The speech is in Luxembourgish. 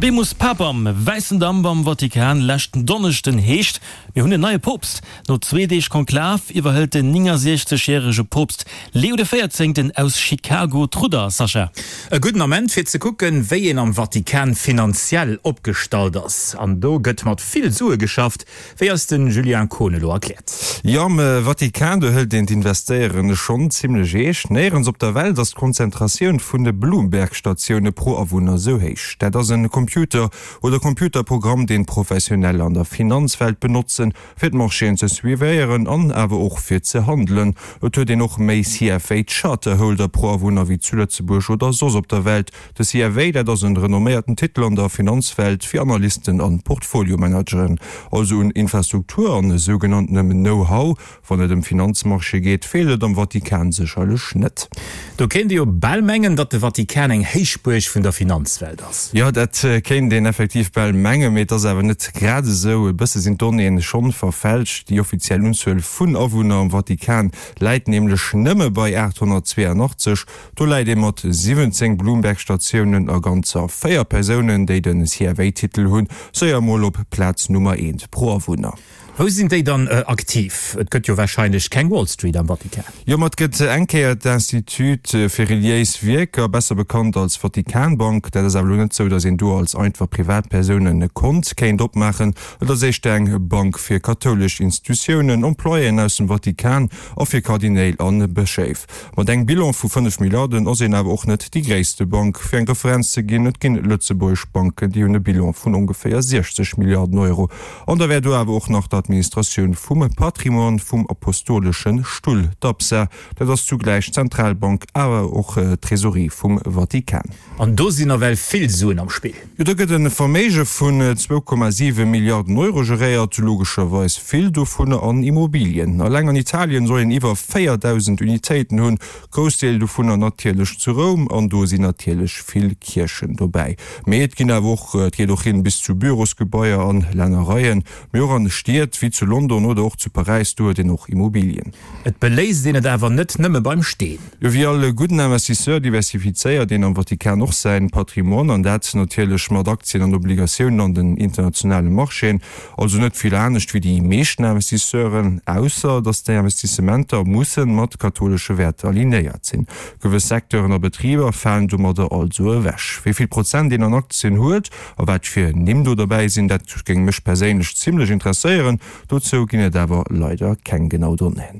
Habemus Papam, wäissen Damp am Vatikan leschten Donneschden heescht, mir hunn en neie Poopst. No zwee Deeg Konklav iwwerhëlt den 69 järege Poopst Leo de Véierzéngten aus Chicago d'Rudder. Sascha. E gudden Ament fir ze kucken, wéi een am Vatikan finanziell opgestallt ass. An do gëtt mat vill Sue geschafft, wéi eis de Julien Kohn elo erkläert. Jo, am Vatikan, do hëlt een d'Investéieren schonn zimmlech eescht. Néierens op der Welt ass d'Konzentratioun vun de Bloomberg-Statioune pro Awunner esou héich. Dat ass e Computer oder Computerprogramm, deen Professioneller an der Finanzwelt benotzen, fir d'Marchéen ze suivéieren an awer och fir ze handelen. Et huet een och méi CFA Charterholder pro Awunner wéi zu Lëtzebuerg oder soss op der Welt. De CFA, dat ass en renomméierten Titel an der Finanzwelt fir Analysten an Portfoliomanageren. Also un Infrastruktur an sougenanntenem Know-how Wann et ëm Finanzmarché geet, feelt et am Vatikan sécherlech net. Do kéint ee jo bal mengen, datt de Vatikan eng Héichbuerg vun der Finanzwelt ass. Jo, dat kéint een effektiv bal mengen, mee et ass awer net grad esou. E bësse sinn d'Donnéeën schonn verfälscht. Déi offiziell Unzuel vun Awunner am Vatikan läit nämlech nëmme bei 882. Do läit ee mat 17 Bloomberg-Statiounen a ganzer 4 Persounen, déi de CFA-Titel hunn, séier mol op Plaz Nummer eent pro Awunner. Wou sinn déi dann aktiv? Et gëtt jo wahrscheinlech keng Wall Street am Vatikan. Jo, ma et gëtt eng Kéier d'Institut fir reliéis Wierker, besser bekannt als Vatikanbank. Dat ass awer elo net sou, datt een do als einfach Privatpersoun e Kont kéint opmaachen. Et ass éischter eng Bank fir kathoulesch Institutiounen, Employéen aus dem Vatikan a fir Kardinäl a Bëschéif. Mat engem Bilan vu 5 Milliarden ass een awer och net déi gréisste Bank. Fir eng Referenz ze ginn, et ginn lëtzebuergesch Banken, déi hunn e Bilan vun ongeféier 60 Milliarden Euro. An da wär do awer och nach d'Administratioun vum Patrimoine vum Apostoleschen Stull, d'APSA. Dat ass zugläich d'Zentralbank, awer och d'Trésorerie vum Vatikan. An do sinn nawell vill Suen am Spill. Jo, do gëtt e Verméige vun 2,7 Milliarden Euro geréiert, logescherweis vill dovunner an Immobilien. Alleng an Italien soll een iwwer 4.000 Unitéiten hunn, Groussdeel dovunner natierlech zu Roum, an do sinn natierlech vill Kierchen dobäi. Mee et ginn awer och, et geet och hin bis zu Bürosgebaier an Lännereien, mee och an Stied wéi zu London oder och zu Paräis, do huet een och Immobilien. Et beléisst een et awer net nëmme beim Steen. Jo, wéi all gudden Investisseur diversifizéiert een am Vatikan och säin Patrimoine, an dat natierlech mat Aktien an Obligatiounen an den internationale Marchéen. Also net vill anescht wéi déi meeschten Investisseuren, ausser datt déi Investissementer mussen mat kathoulesche Wäerter alignéiert sinn. Gewëss Secteuren a Betriber falen domadder also ewech. Wéi vill Prozent een an Aktien huet a wat fir Nimm do derbäi sinn, dat géing mech perséinlech zimmlech interesséieren. Dozou ginn et awer leider keng genau Donnéeën.